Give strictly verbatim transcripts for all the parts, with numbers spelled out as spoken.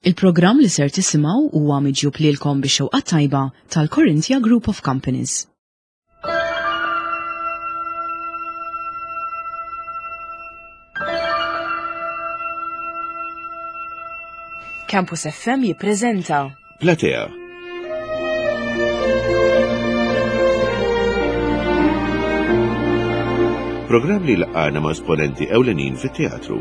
Il-programm li ser tisimgħu huwa miġjub lilkom bix-xewqa tajba tal-Corinthia Group of Companies. Campus F M jippreżenta Platea. Programm li laqgħana ma' esponenti ewlenin fit-teatru.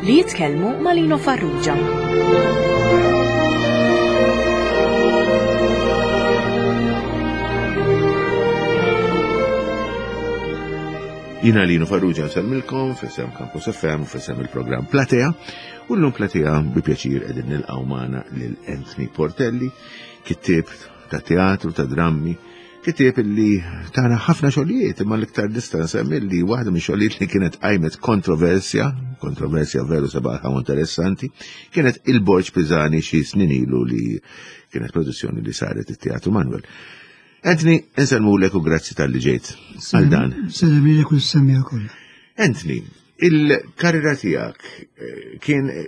Li jitkellmu ma' Lino Farrugia. Jina Lino Farrugia nsemmilkom f'isem Campus F M, f'isem il-programm Platea, u llum Platea bi pjaċir qegħdin nilqgħu magħna lil Anthony Portelli, kittieb ta' teatru, ta' drammi, kittieb illi tana ħafna xogħlijiet, imma l-iktar nista' nsemmi li waħda minn xogħlijiet li kienet qajmet kontroversja, kontroversja veru sabaħa u interessanti, kienet il-Borġ Pisani xi snin ilu li kienet produzzjoni li saret it-Teatru Manuel. Anthony, insellmulek u grazzi tal-li ġejt għal dan. Sellem lilek u s-semmiegħa kollha. Anthony, il-karriera tiegħek, eh, kien, eh,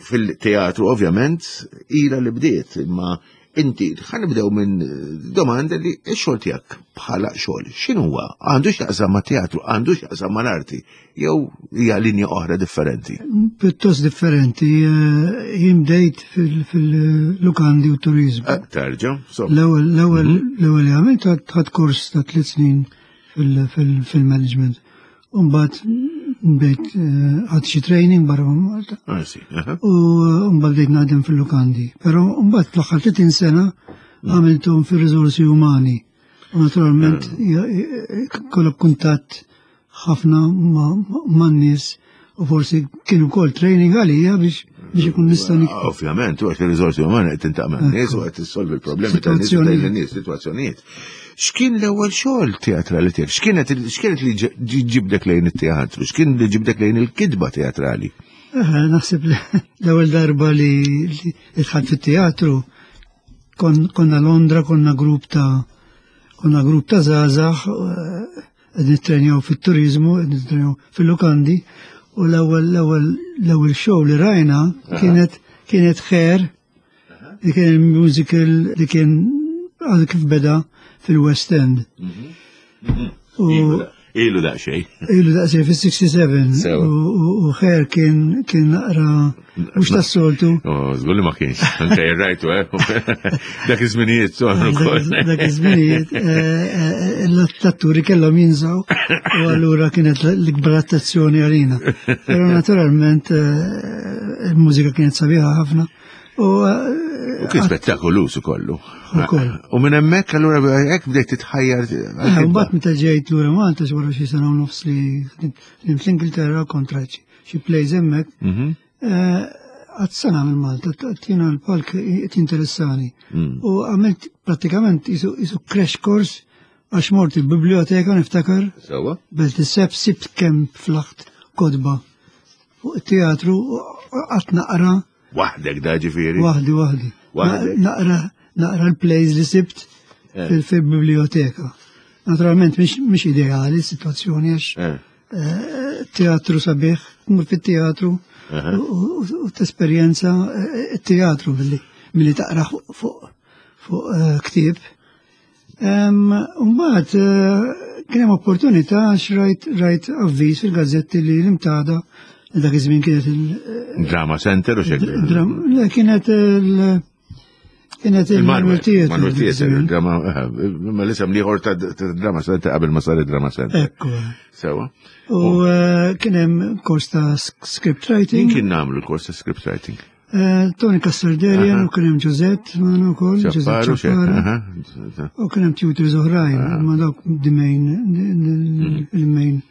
fil-teatru ovvjament ila li bdiet, imma inti ħa nibdew minn domanda li x-xogħol tiegħek bħala xogħol x'inhuwa? Għandu x'jaqsam mat-teatru, għandu x'jaqsam mal-arti, jew hija linja oħra differenti? Pjuttost differenti, eh, jien bdejt fil-, fil-lukandi u turizmu. Eh, terġa', so. L-ewwel, l-ewwel, Mhm. l-ewwel li għamilt ħadt kors ta' tliet snin fil-, fil-, fil-management. U mbagħad bdejt, eh, ħadt xi training barra minn Malta. Ah, sì, aha. U, eh, mbagħad bdejt naħdem fil-lukandi. Però mbagħad fl-aħħar tletin sena Mm. għamilthom fir-riżorsi umani. U naturalment Ah. ja, eh, kollok kuntatt ħafna ma-, ma-, man-nies u forsi kienu wkoll training għalija biex, biex ikun nista' niktab. Ovvjament, u għax ir-riżorsi umani qed tintaq man-nies u qed tissolvi l-problemi tan-nies u Situazzjonijiet. tgħin lin-nies, sitwazzjonijiet. X'kien l-ewwel xogħol teatrali tiegħek? X'kienet il-, x'kienet li ġ-, ġ-, ġibdek lejn it-teatru? X'kien li ġibdek lejn il-kitba teatrali? Eh, naħseb li l-ewwel darba li, li dħalt fit-teatru kon-, konna Londra, konna grupp ta', konna grupp ta' żgħażagħ, eh, qed nittrenjaw fit-turizmu, qed nittrenjaw fil-lukandi, u l-ewwel, l-ewwel, l-ewwel show li rajna Aha. kienet, kienet Hair, li kien il-musical li kien għadu kif beda fil-West End. Mhm. Mhm. U Ilu da-, ilu daqsxejn. Ilu daqsxejn fis-sixty-seven. Sewa. U, u, u Hair kien, kien naqra mhux tas-soltu. Oh, żgur li ma kienx. Anke rajtu, eh? Dak iż-żminijiet, so, Dak ukoll. iż-, dak iż-żminijiet, eh, eh, l-atturi kellhom jinżaw u allura kienet l-ikbar attenzjoni għalina. Però naturalment, eh, il-mużika kienet sabiħa ħafna. U, eh, U kien spettakoluż ukollu. Ukoll. U minn hemmhekk allura hekk bdejt titħajjar Eh, għal-kitba. Mbagħad meta ġejt lura Malta wara xi sena u nofs li ħdimt fl-Ingilterra kontra xi, xi plays hemmhekk. Mhm. Eh, għad sena minn Malta, t-, jiena l-palk qed jinteressani. Mm. U għamilt pratikament isu, isu crash course għax mort il-biblioteka niftakar. Sewwa. Belt is-seb sibt kemm flaħt kotba fuq it-teatru u qatt naqra. Waħdek da ġifieri? Waħdi, waħdi. Waħdek? Na-, naqra, naqra l-plays li sibt Eh. fil-, fil-biblioteka. Naturalment mhix, mhix ideali s-sitwazzjoni għax, Eh. eh, teatru sabiħ, tmur fit-teatru Aha. u, u, u t-esperjenza, eh, teatru billi, milli taqra fuq, fuq, fuq, eh, ktieb. Em, Mbagħad, eh, kien hemm opportunità għax rajt, rajt avviż fil-gazzetti li l-imtada dak iż-żmien kienet il- Drama Center u xejn. Dram-, le, kienet il-, kienet Il-Manuel il-Manuel Theatre Manuel dak Theatre, iż-żmien. il-drama, eh, ma l-isem liħor ta' ta' Drama Center qabel ma saret Drama Center. Ekku. Sewa. U, eh, kien hemm kors ta' sk-, script writing. Min kien nagħmlu l-kors ta' script writing? Eh, Tony Castarderian Aha. u kien hemm Giuseppe magħna wkoll, Giuseppe Ċapparu, xejn, Ċapparo. aha. U kien hemm tutors oħrajn, Aha. ma dawk the main, Mhm. il-main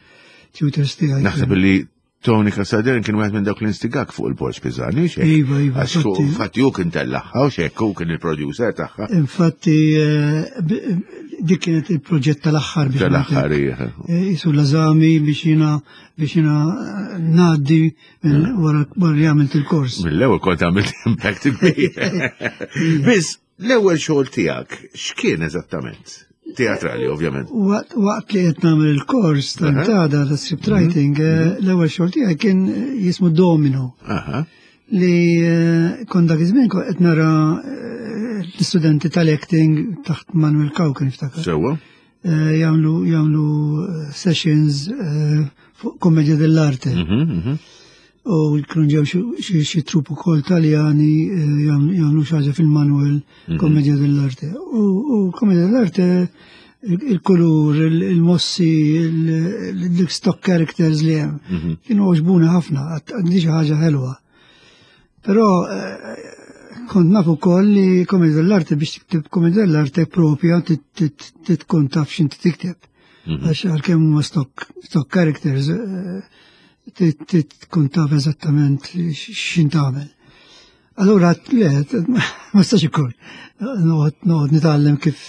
tutors tiegħi. Naħseb li Tony Castarderian kien wieħed minn dawk l-instigak fuq il-Borġ Pisani, xejn. Iva, iva, Għax hu, infatti. infatti hu kien tellagħha u xejn, hu kien il-producer tagħha. Infatti, eh, b-, dik kienet il-proġett tal-aħħar biex Tal-aħħar, ngħidlek. iva. Eh, Isu l-eżami biex jiena, biex jiena, eh, ngħaddi minn Eh. wara, wara li għamilt il-kors. Mill-ewwel kont għamilt impact kbir. Biss, l-ewwel xogħol tiegħek x'kien eżattament? Teatrali, ovvjament. Waqt, waqt li qed nagħmel il-kors tal-tada ta' script writing, Mhm. eh, l-ewwel xogħol tiegħi kien jismu Domino. Aha. Li eh, kont dak iż-żmien kont qed nara eh, l-istudenti tal-acting taħt Manuel Cauchi niftakar. Sewwa. Eh, Jagħmlu jagħmlu eh, sessions eh, fuq commedia dell'arte. Mhm, mhm. U kienu ġew xi- xi xi trupp ukoll Taljani eh, jagħmlu jagħmlu xi ħaġa fil-Manuel Commedia dell'arte. U u Commedia dell'arte il- il-kulur, il- il-mossi, il-stock characters li hemm. Mhm. Kienu għoġbuni ħafna, għad- għandi xi ħaġa ħelwa. Però eh, kont naf ukoll li Commedia dell'arte biex tikteb Commedia dell'arte propja tkun taf x'inti tikteb. Għax għalkemm huma stock stock characters eh, trid trid tkun taf eżattament x'int tagħmel. Allura le, ma stax ikun. Noqgħod noqgħod nitgħallem kif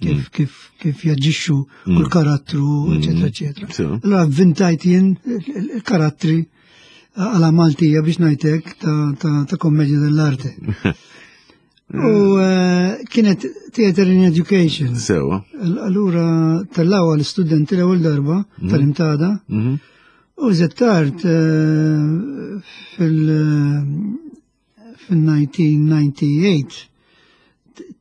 kif kif kif jaġixxu kull karattru, eċetera, eċetera. So. Allura vvintajt jien il- il-karattri għala Maltija biex ngħidlek ta' ta' ta' commedia dell'arte. U eh, kienet theater in education. Sewwa. Allura tellgħuha l-istudenti l-ewwel darba tal-Imtada Mhm. u żed tard eh, fil- fil-elf disa' mija u disgħa u tmenin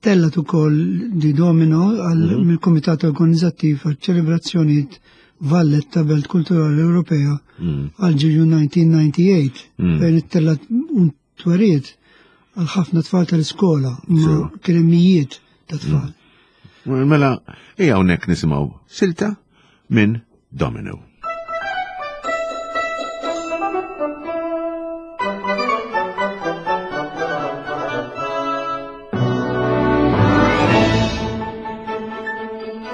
tellgħet ukoll di Domino għal mill-Kumitat Organizzattiv għal ċelebrazzjonijiet Valletta Belt Kulturali Ewropea għal ġeju elf disa' mija u disgħa u tmenin fejn ittellgħet un tweriet għal ħafna tfal tal-iskola, ma kien hemm mijiet ta' tfal. Mela, ejja hawnhekk nisimgħu silta minn Domino.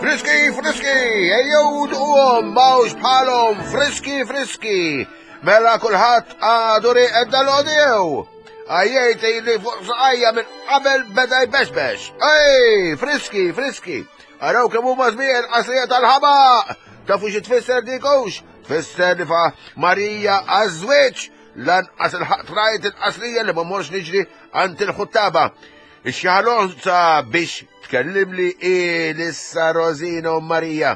Friski, friski, ejjew duqhom, m'hawnx bħalhom, friski, friski. Mela kulħadd għadu rieqed dal-għodjew. Għajjejt li fuq saqajja minn qabel beda jbexbex. Ej, friski, friski. Araw kemm huma sbieħ il-qasrija tal-ħabaq. Tafu xi tfisser dikux? Tfisser li fa Marija għaż-żwieġ. Lanqas il-ħaq rajt il-qasrija li ma morx niġri għand il-ħuttaba. Ix-xaħalonza biex tkellimli issa Rosina u Marija.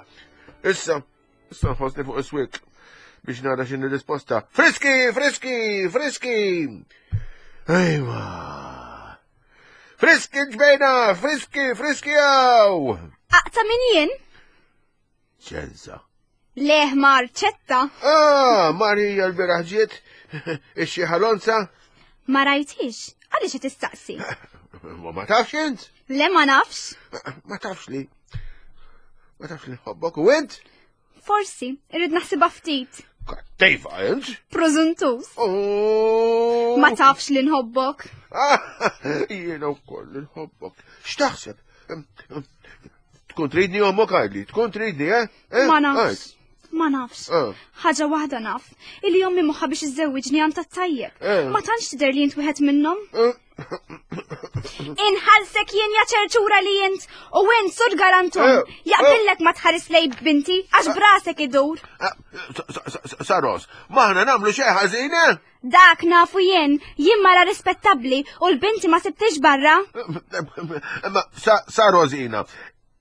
Issa, issa nħossni fuq is-swik biex nara x'inhi risposta. Friski, friski, friski! Ejwa. Friski ġbejna, friski, friski jaw! Aqta min jien? Ċenza. Leħ marċetta. Ah, Marija l-bieraħ ġiet, ix-xaħalonza. Ma rajtix, għaliex qed tistaqsi? Ma ma tafx int? Le ma nafx. Ma tafx li. Ma tafx li nħobbok u int? Forsi, irrid naħsibha ftit. Kattiva int? Prożuntus. Oh. Ma tafx li nħobbok. Ah, Jiena wkoll nħobbok. X'taħseb? Tkun tridni ommok għidli, tkun tridni, eh? Eh? Ma nafx. Ma nafx. Ah. Ħaġa waħda naf. Illi ommi moħħa biex iżżewwiġni għand tat-tajjeb. Eh. Ma tantx tidher li int wieħed minnhom. Eh. Inħallsek jien ja ċerċura li int u int sur galantum. Eh. Jaqbillek ma tħares lej binti għax brasek idur. Ah, sa- sa- sa- Saros, m'aħna nagħmlu xejn ħażin, eh? Dak nafu jien, jien mara rispettabbli u l-binti ma sibtix barra. Ma sa, sa Rosina,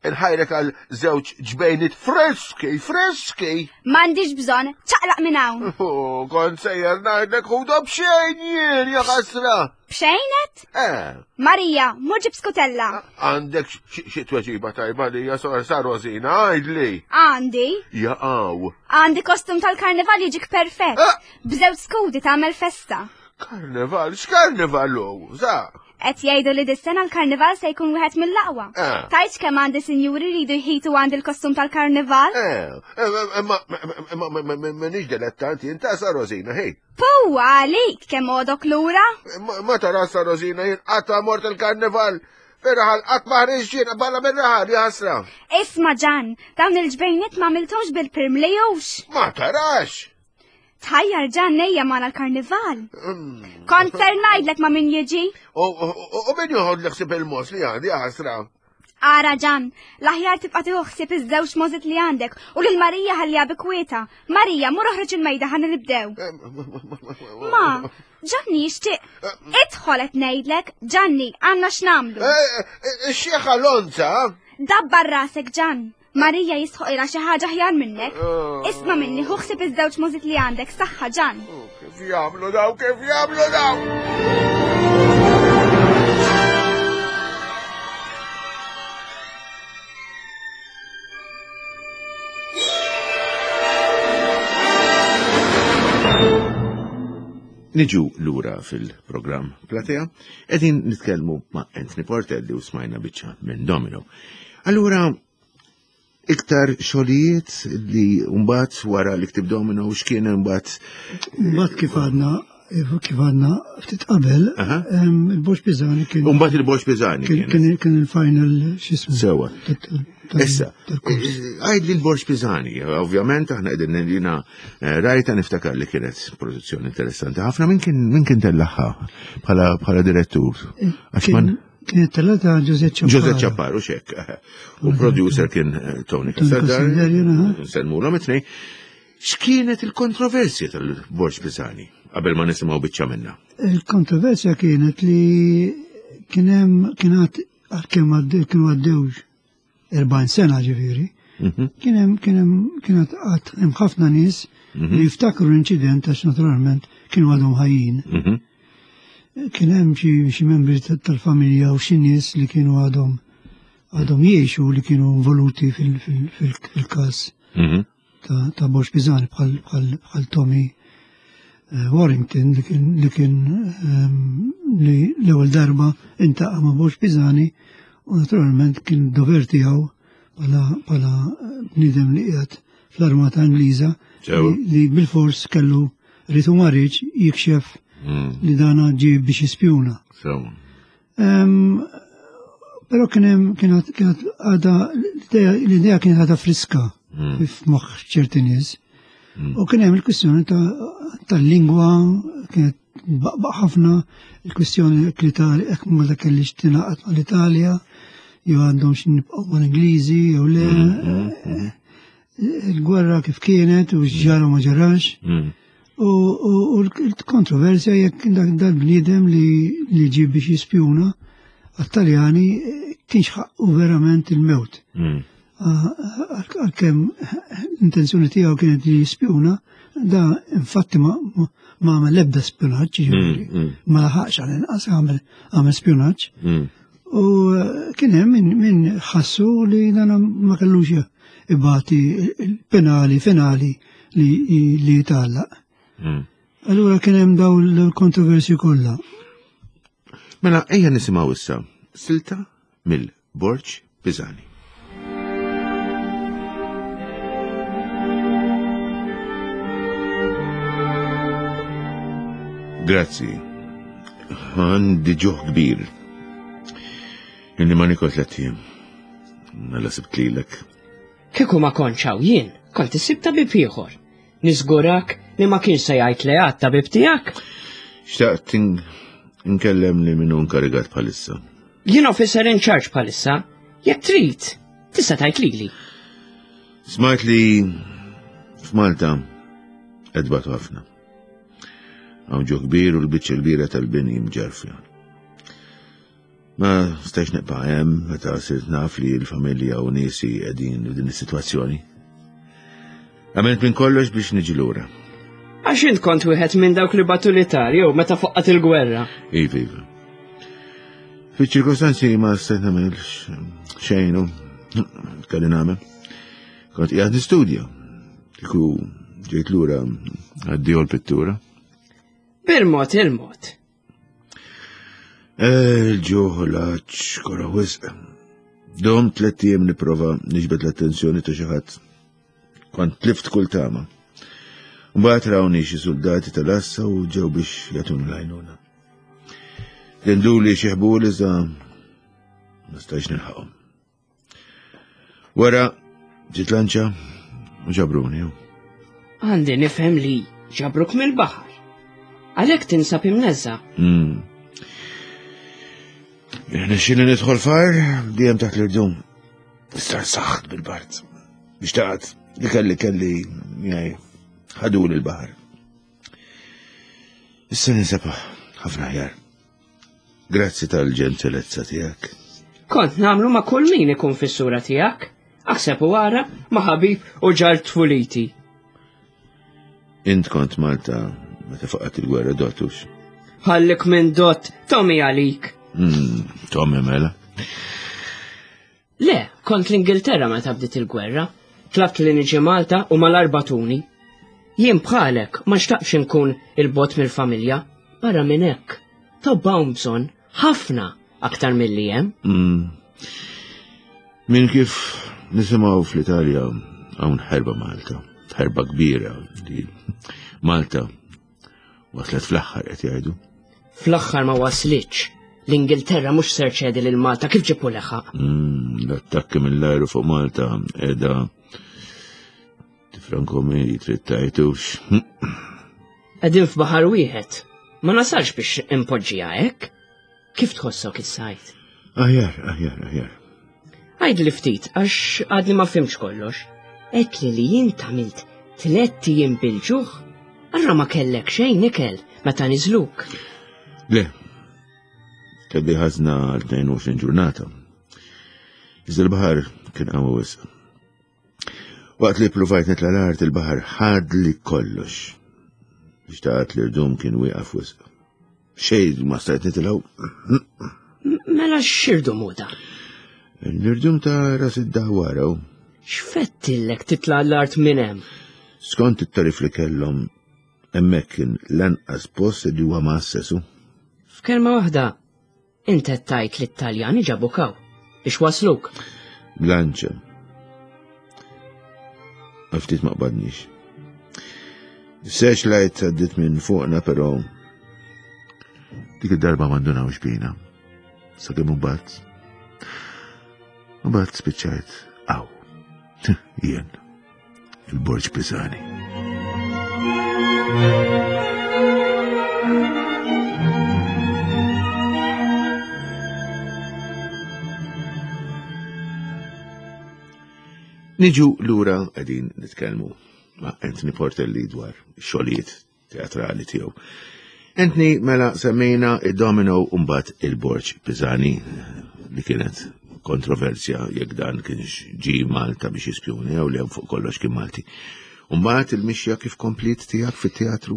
inħajrek għal żewġ ġbejnit friski, friski. M'għandix bżonn, ċaqlaq minn hawn. Oh, kont sejjer ngħidlek ħudu b'xejn jien, ja ħasra. B'xejnet? Eh, Marija, mur ġib skutella. għandek xi xi tweġiba tajba li ja sa sa Rosina, għidli. Għandi, Jaqaw. għandi kostum tal-karnival jiġik perfett. Ah! B'żewġ skudi tagħmel festa. Karnival, x'karnival hu? Sa. Qed jgħidu li dis-sena l-karnival se jkun wieħed mill-aqwa. Ah. Tajt kemm għandi sinjuri jridu jħitu għandi l-kostum tal-karnival? Eh, eh, ma ma ma ma m'inix dilettanti, inta sa Rosina, hej. Pu, għalik kemm għodok lura? Ma ma tara sa Rosina jien qatt mort il-karnival. Fir-raħal qatt ma ħriġt jien barra mir-raħal ja ħasra. Isma' Ġan, dawn il-ġbejniet ma għamilthomx bil-pirm li jux. Ma tarax. Tħajjar Ġan nejja magħna l-karnival. Kont ser ngħidlek ma' min jiġi. U u- u min joħod li ħsieb il-mos li għandi ja ħasra. Ara Ġan, l-aħjar tibqa' tieħu ħsieb iż-żewġ możit li għandek u lil Marija ħallija bi kwieta. Marija, mur oħroġ il-mejda ħa nibdew. Ma, Ġanni jixtieq. Idħol qed ngħidlek, Ġanni, għandna x'nagħmlu. Ix-xieħ Alonza. Dabbar rasek Ġan. Marija jisħoqilha xi ħaġa aħjar minnek. Isma' minni, ħu ħsieb iż-żewġ możit li għandek, saħħa Ġan. Kif jagħmlu daw, kif jagħmlu daw! Niġu lura fil-programm Platea, qegħdin nitkellmu ma' Anthony Portelli u smajna biċċa minn Domino. Allura, iktar xogħlijiet li mbagħad wara li ktib Domino u x'kien imbagħad? Mbagħad kif għadna kif għadna ftit qabel, il-Borġ Pisani kien. Mbagħad il-Borġ Pisani kien kien il-final x'ismu. Sewa. Issa, għajd li l-Borġ Pisani, ovvjament aħna qegħdin jiena rajta niftakar li kienet produzzjoni interessanti ħafna. Min kien min kien tellaħħa bħala bħala direttur? Għax man kienet tellata Giuseppe Ciapparo. Giuseppe Ciapparo, xek. U producer kien Tony Cassandar. Nsellmulhom it-tnejn. X'kienet il-kontroversja tal-Borġ Pisani qabel ma nisimgħu biċċa minnha? Il-kontroversja kienet li kien hemm kienet għalkemm kienu għaddewx erbgħin sena ġifieri, kien hemm kien hemm kienet qatt hemm ħafna nies li jiftakru l-inċident għax naturalment kienu għadhom ħajjin. Kien hemm xi membri tal-familja u xi nies li kienu għadhom għadhom jgħixu li kienu involuti fil-każ ta' Borġ Pisani bħal Tommy Warrington li kien li kien li l-ewwel darba intaqa' ma' Borġ Pisani u naturalment kien dover tiegħu bħala bniedem li qiegħed fl-armata Ingliża li bil-fors kellu rrid u ma rridx jikxef li dana ġie biex jispjuna. Però kien hemm kienet għadha l-idea kienet għadha friska f'moħħ ċerti nies. U kien hemm il-kwistjoni tal-lingwa kienet baqbaq ħafna, il-kwistjoni jekk l-Italja jekk Malta kellix tingħaqad mal-Italja jew għandhom xi nibqgħu mal-Ingliżi jew le. Il-gwerra kif kienet u x'ġara ma ġarax. U l-kontroversja jekk dal-bniedem li ġie biex jispjuna għat-Taljani kienx ħaqqu verament il-mewt. Għalkemm l-intenzjoni tiegħu kienet li jispjuna, da infatti ma għamel l-ebda spjunaġġ, ġifieri, ma laħaqx għal inqas għamel spjunaġġ. U kien hemm min ħassu li dan ma kellux ibati il-penali finali li jitgħallaq. Allura kien hemm daw l-kontroversji kollha. Mela ejja nisimgħu issa silta mill-Borġ Pisani. Grazzi. Għandi ġuħ kbir. Inni ma nikol tliet ijiem. Mela sibt lilek. Kieku ma kontx hawn jien, kont issib tabib ieħor. Niżgurak li ma kienx se jgħid le għat tabib tiegħek. Xtaqt nkellem li minnu nkarigat bħalissa. Jien officer in charge bħalissa, jekk trid, tista' tgħid lili. Smajt li f'Malta qed ħafna. Hawn ġo kbir u l-biċċa kbira tal-bini mġarfja. Ma stajx nibqa' hemm meta sirt naf li l-familja u niesi qegħdin f'din is-sitwazzjoni. Għamilt minn kollox biex niġi lura. Għax int kont wieħed minn dawk li batu l-Italja jew meta foqqat il-gwerra. Iva, iva. Fiċ-ċirkostanzi ma stajt nagħmel xejn u kelli nagħmel. Kont qiegħed nistudja. Kieku ġejt lura għaddiegħu l-pittura. Bil-mod il-mod. Il-ġuħ l-għatx kora wisq. Dom tliet ijiem nipprova niġbed l-attenzjoni ta' xi ħadd. Kont tlift kull tama. Mbagħad rawni xi soldati tal-assa u ġew biex jagħtuni l-għajnuna. Denduli xi ħbul iżda ma stajx nilħaqhom. Wara ġiet lanċa u ġabruni. Għandi nifhem li ġabruk mill-baħar. Għalhekk tinsab imneżża. Nixxieli nidħol far dejjem taħt l-irdum. Issa saħħt bil-bard. Biex taqgħod li kelli kelli miegħi ħaduli l-baħar. Issa ninsab ħafna aħjar. Grazzi tal-ġentilezza tiegħek. Kont nagħmlu ma' kull min ikun fis-sura tiegħek. Aħseb u ara ma' ħabib u ġar tfuliti. Int kont Malta Meta faqat il-gwerra dotux. Ħallik minn dot, Tommy għalik. Mm, Tommy mela. Le, kont l-Ingilterra meta bdiet il-gwerra. Tlabt li niġi Malta u mal-arbatuni. Jien bħalek ma xtaqx inkun il-bot mill-familja. Barra minn hekk. Tobba hawn bżonn ħafna aktar milli hemm. Mm. Min kif nisimgħu fl-Italja hawn ħerba Malta, ħerba kbira li Malta waslet fl-aħħar qed jgħidu. Fl-aħħar ma waslitx. L-Ingilterra mhux ser ċedi lil Malta kif ġipu leħaq. Mm, L-attakki mill-ajru fuq Malta qiegħda tifrankomi trid tajtux. Qegħdin f'baħar wieħed. Ma nasalx biex impoġġiha hekk. Kif tħossok is-sajt? Aħjar, aħjar, aħjar. Għidli ftit, għax għadni ma fimx kollox. Għedtli li jint għamilt tlett ijiem bil-ġuħ, allura ma kellek xejn ikel meta niżluk. Le, kelli ħażna għal tnejn u għoxrin ġurnata. Iżda l-baħar kien qawwi wisq. Waqt li provajt nitla' l-art, il-baħar ħadli kollox. Xtaqt li rdum kien wieqaf wisq. Xejn ma stajt nitilgħu. Mela x'irdu muda? L-irdum ta' ras id-dawara. X'fettillek titla' l-art minn hemm? Skont it-tarif li kellhom, hemmhekk kien l-anqas post li huwa ma' F'kelma waħda, int qed tgħid li t-Taljani ġabuk hawn biex wasluk. Blanċa. Għal ftit ma qbadniex. Searchlight għaddit minn fuqna, però dik id-darba ma ndunawx bina. Sakemm imbagħad. Mbagħad spiċċajt hawn. Jien, il-Borġ Pisani. Niġu lura qegħdin nitkellmu ma' Anthony Portelli dwar xogħlijiet teatrali tiegħu. Anthony, mela semmejna id-Domino u mbagħad il-Borġ Pisani li kienet kontroversja jekk dan kienx ġi Malta biex jispjuni jew li hemm fuq kollox kien Malti. U mbagħad il-mixja kif komplit tiegħek fit-teatru?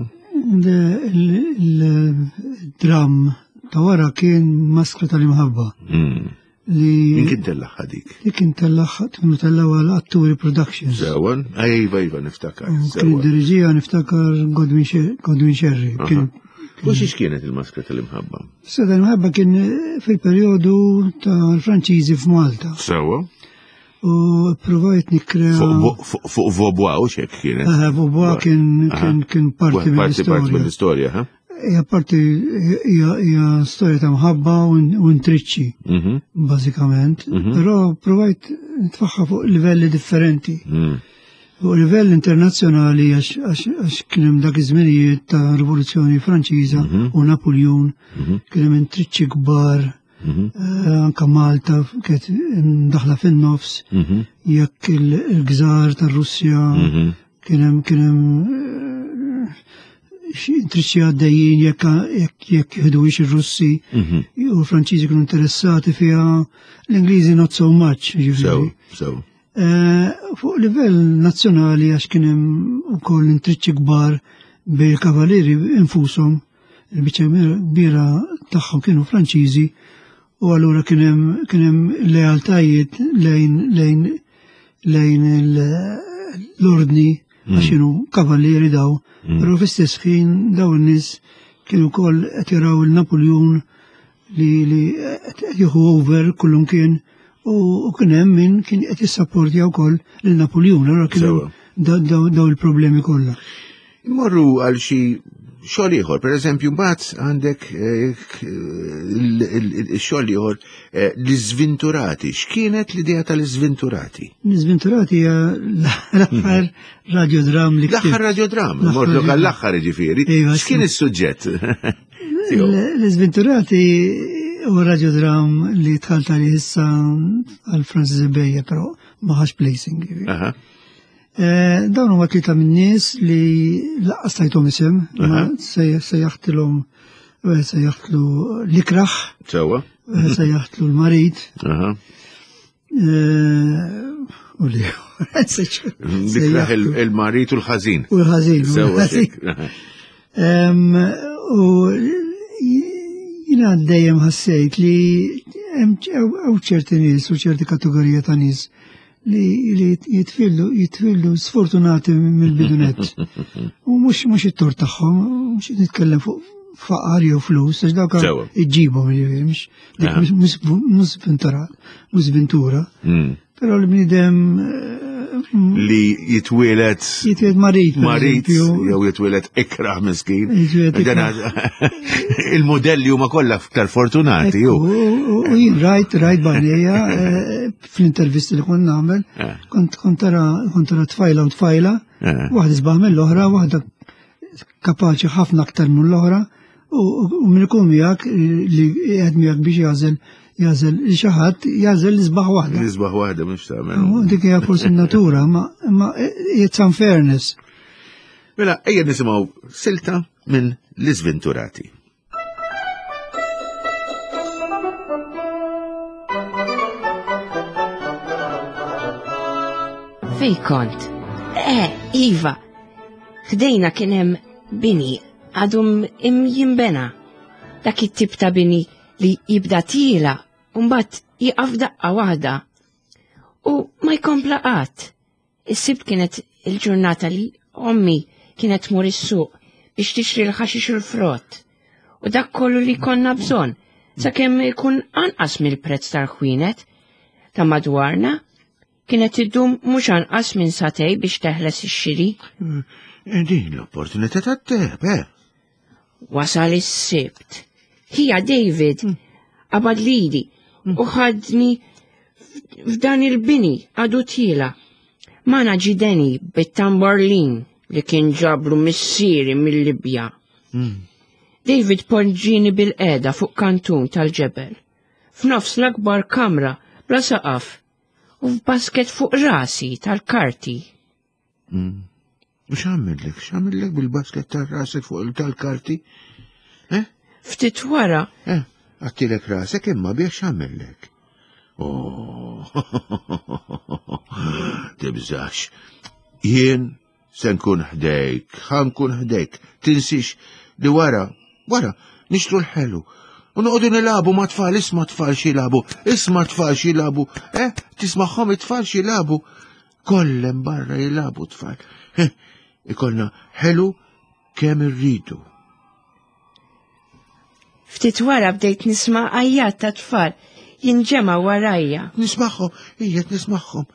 Il-dram ta' wara kien Maskra tal-Imħabba. Mm. Li Min kien tellaħħa dik? Li kien tellaħħa, kienu tellaħħa l-Atturi Productions. Sewan? Ejva, ejva, niftakar. Kien Sewan. id-diriġija niftakar Godwin Sher-, Godwin Scerri. Aha. Kien U xiex kienet il-Maskra tal-Imħabba? Maskra tal-Imħabba kien fil-perjodu tal-Franċiżi f'Malta. Sewa. U provajt nikkrea Fuq fuq, fuq Vaubois u xek kienet? Aha, Vaubois kien, Aha. kien, kien parti Parti mill-istorja. mill-istorja, ha? Hija parti, hija, hija storja ta' mħabba u in-, u intriċċi, Mhm. bażikament. Mhm. Però provajt nitfaħħa fuq livelli differenti. Mm. Fuq livell internazzjonali għax, għax, għax kien hemm dak iż-żminijiet ta' Rivoluzzjoni Franċiża Mhm. u Napoleon, Mhm. kien hemm intriċċi kbar, Mhm. eh, anka Malta kienet daħla fin-nofs, Mhm. jekk il-, il-gżar tar-Russja, Mhm. kien hemm, kien hemm, eh, xi intriċċi għaddejjin jekk, jekk, jekk jieħduhiex ir-Russi, Mhm. u l-Franċiżi kienu interessati fiha, l-Ingliżi not so much, jiġifieri. Sew, sew. Eh, fuq livell nazzjonali għax kien hemm ukoll intriċċi kbar bejn il-kavalieri infushom, il-biċċa kbira tagħhom kienu Franċiżi, u allura kien hemm, kien hemm lealtajiet lejn, lejn, lejn il-, l-ordni Mm. għax kienu kavalieri daw, Mm. però fl-istess ħin daw in-nies kienu wkoll qed jaraw il-Napoleon li, li qed jieħu over kullum kien, u, u kien hemm min kien qed jissapportja wkoll lil Napoleon, allura kien hemm Sewa. da-, da-, daw il-problemi kollha. Immorru għal xi xogħol ieħor, pereżempju mbagħad għandek, eh, il-, il-, il-, il-xogħol ieħor, eh, l-Iżvinturati. X'kienet l-idea tal-Iżvinturati? L-Iżvinturati hija l-aħħar radiodram li L-aħħar ktibt. radiodram, L-aħħar mordu radiodram. għall-aħħar jiġifieri. Iva, X'kien sì. is-suġġett? L-, L-Iżvinturati huwa radiodram li dħalt għalih issa għal Francis Bejja, però ma ħax placing, jiġifieri. Aha. Eh, dawn huma tlieta min-nies li laqqas tajthom isem, ma Aha. sej-, sejjaħtilhom, eh, sejjaħtlu l-ikraħ, Sewwa. eh, sejjaħtlu l-marid. Aha. Eh, u li L-ikraħ il-, il-marid u l-ħażin. U l-ħażin, u Sewwa, l-ħażin. xek. Aha. U jina dejjem ħassejt li hemm ċerti nies u ċerti kategorija ta' nies li jitfillu jitfillu sfortunati mill-bidunet. U mhux mhux it-tort tagħhom, mhux nitkellem fuq faqar jew flus, għax dawk iġġibhom jiġifieri mhux mhux sventura, mhux sventura. Però l-bniedem li jitwielet jitwielet marid marid jew jitwielet ikrah miskin. Il-modelli huma kollha aktar fortunati ju. U jien rajt rajt b'għajnejja fl-intervisti li kont nagħmel, kont kont tara kont tara tfajla u tfajla, waħda isbaħ mill-oħra, waħda kapaċi ħafna aktar mill-oħra, u min ikun miegħek li qiegħed miegħek biex jażel jażel li xi ħadd jażel l-isbaħ waħda. L-isbaħ waħda mhux tagħmel. Dik hija forsi n-natura, ma it's unfairness. Mela, ejja nisimgħu silta minn L-Iżventurati. Fej kont? Eh, iva, ħdejna kien hemm bini għadu jinbena. Dak it-tip ta' bini li jibda tila u mbagħad jieqaf daqqa waħda u ma jkompla qatt. Is-Sibt kienet il-ġurnata li ommi kienet tmur is-suq biex tixtri l-ħaxix u l-frott u dak kollu li konna bżonn sakemm ikun anqas mill-prezz tal-ħwienet ta' madwarna. Kienet iddum mhux anqas minn satej biex teħles ix-xiri. Din l-opportunità tat-teb, eh? Wasal is-Sibt. Hija David qabad lili u ħadni f'dan il-bini għadu tila. Mana ġideni bit-tamborlin li kien ġablu missieri mill-Libja. David poġġini bil-qeda fuq kantun tal-ġebel. F'nofs l-akbar kamra bla saqaf u f'basket fuq rasi tal-karti. X'għamillek? X'għamillek bil-basket tar-rasek fuq tal-karti? Eh? Ftit wara. Eh, għattilek rasek imma biex x'għamillek? Oh, tibżax. Jien se nkun ħdejk, ħa nkun ħdejk. Tinsix li wara, wara, nixtru l-ħelu. U noqogħdu nilagħbu ma' tfal, isma' tfal xi jilagħbu, isma' tfal xi jilagħbu, eh, tismagħhom it-tfal xi jilagħbu. Kollem barra jilagħbu tfal. Eh, ikollna ħelu kemm irridu. Ftit wara bdejt nisma' għajjat ta' tfal jinġema' warajja. Nismagħhom, ijiet nismagħhom.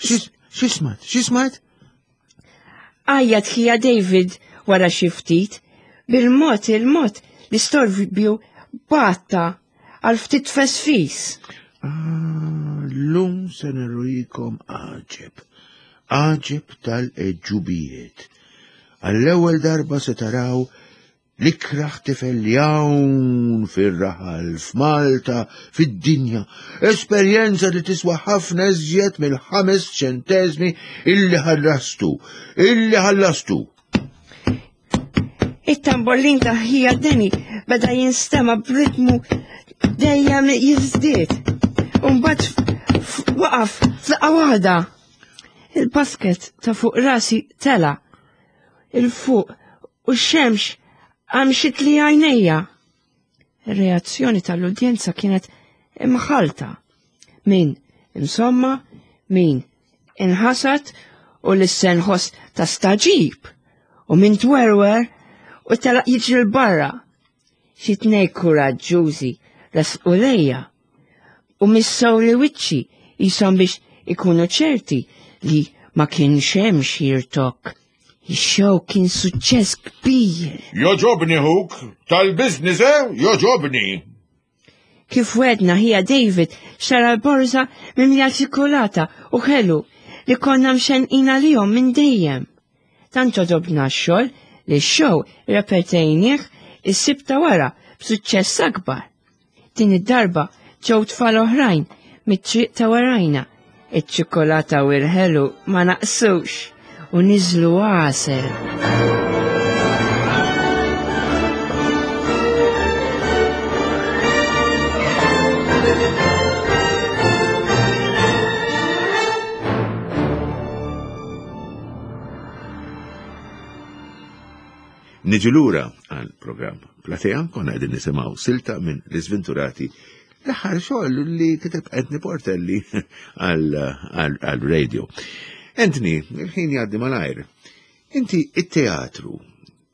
Xi smajt? Xi smajt? Għajjat ħija David wara xi ftit, bil-mod il-mod l-istorbju batta għal ftit fesfis. Ah, l-lum se nurikom għaġeb, għaġeb tal-eġubijiet. Għall-ewwel darba se taraw l-ikraħ tifel li hawn fir-raħal, f'Malta, fid-dinja. Esperjenza li tiswa ħafna iżjed mill-ħames ċentesmi illi ħallastu, illi ħallastu. It-tamborlin ta' ħija Deni beda jinstema' b'ritmu dejjem jiżdied. U mbagħad waqaf f'daqqa waħda. Il-basket ta' fuq rasi tela' il-fuq u x-xemx għamxit li għajnejja. Ir-reazzjoni tal-udjenza kienet imħalta. Min insomma, min inħasat u l-senħos ta' staġib u min twerwer u telaq jiġri l-barra. Xi tnej kuraġġużi resqu lejja u missew li wiċċi jisom biex ikunu ċerti li ma kienx hemm xi rtokk. Ix-show kien suċċess kbir. Joġobni huk, tal-biznis, eh? Joġobni. Kif wedna ħija David xtara l-borża mimlija ċikolata u ħelu li konna mxenqin għalihom minn dejjem. Tant għoġobna x-xogħol li x-show repetejnieh is-Sibt ta' wara b'suċċess akbar. Din id-darba ġew tfal oħrajn mit-triq ta' warajna. Iċ-ċikolata u l-ħelu ma naqsux u niżlu għasel. Niġu lura għal programm Platea, konna qegħdin nisimgħu silta minn L-Iżventurati, l-aħħar xogħol li kiteb Anthony Portelli għal radio. Anthony, il-ħin jgħaddi malajr. Inti it-teatru,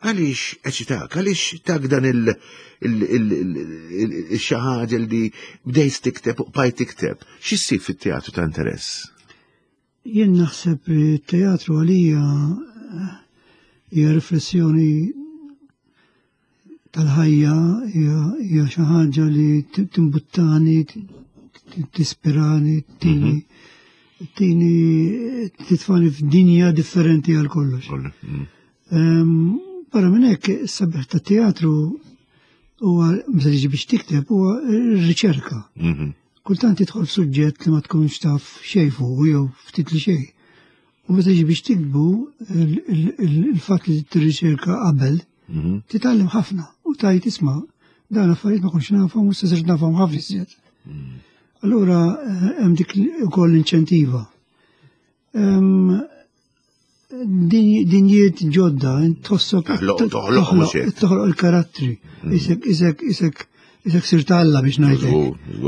għaliex eċitak, għaliex tak dan il-xaħġa li bdejt tikteb u bqajt tikteb, x'issib fit-teatru ta' interess? Jien naħseb li t-teatru għalija hija riflessjoni tal-ħajja, hija xi ħaġa li timbuttani, tispirani, tini tini titfani f'dinja differenti għal kollox. Barra minn hekk, is-sabiħ tat-teatru huwa meta tiġi biex tikteb huwa r-riċerka. Kultant tidħol f'suġġett li ma tkunx taf xejn fuq jew ftit li xejn. U meta tiġi biex tiktbu il-fatt li tirriċerka qabel, titgħallem ħafna u tajt isma' dan affarijiet ma kontx nafhom u issa sirt nafhom ħafna iżjed. Allura hemm dik ukoll inċentiva. Dinjiet ġodda, tħossok toħloq il-karattri, isek isek isek isek sirt Alla biex ngħidlek.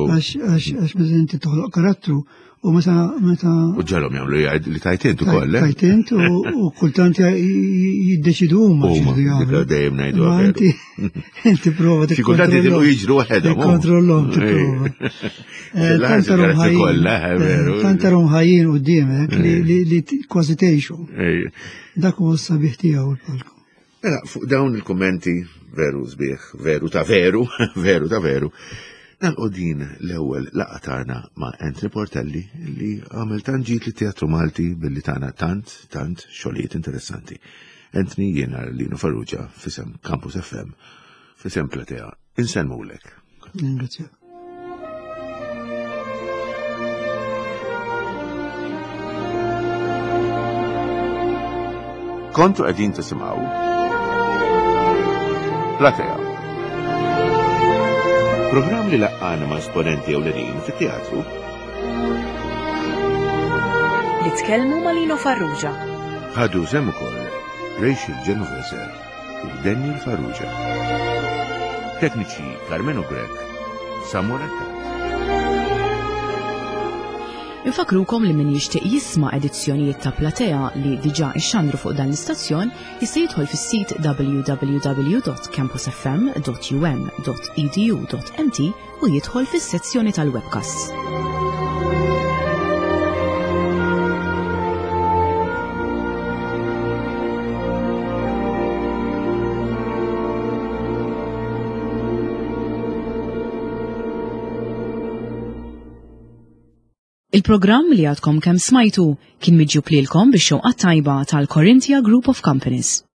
Għax għax meta inti toħloq karattru u meta meta U ġalhom jagħmlu jgħid li tajt int ukoll, eh? Tajt int u kultant jiddeċidu huma x'iridu jagħmlu. Dejjem ngħidu inti inti prova Xi kultant jitilqu jiġru waħedhom. Tikkontrollhom tipprova. Tant tarhom ħajjin quddiemek li kważi tgħixu. Dak huwa s-sabiħ tiegħu l-palku. Mela, fuq dawn il-kummenti veru sbieħ, veru ta' veru, veru ta' veru, nagħlqu din l-ewwel laqgħa tagħna ma' Anthony Portelli li għamel tant ġid lit-Teatru Malti billi tagħna tant, tant xogħlijiet interessanti. Anthony, jiena Lino Farrugia f'isem Campus F M, f'isem Platea, insellmulek. Ringrazzjak. Kontu qegħdin tisimgħu Platea. Programm li laqqana ma' esponenti ewlenin fit-teatru li tkellmu ma' Lino Farrugia. Ħadu sehem ukoll Rachel Genovese u Daniel Farrugia. Tekniċi Carmelo Grech, Samuel Attard. Infakrukom li min jixtieq jisma' edizzjonijiet ta' Platea li diġà ixxandru fuq dan l-istazzjon jista' jidħol fis-sit w w w dot campus f m dot u m dot e d u dot m t u jidħol fis-sezzjoni tal-webcasts. Il-programm li għadkom kemm smajtu kien miġjub lilkom bix-xewqa tajba tal-Corinthia Group of Companies.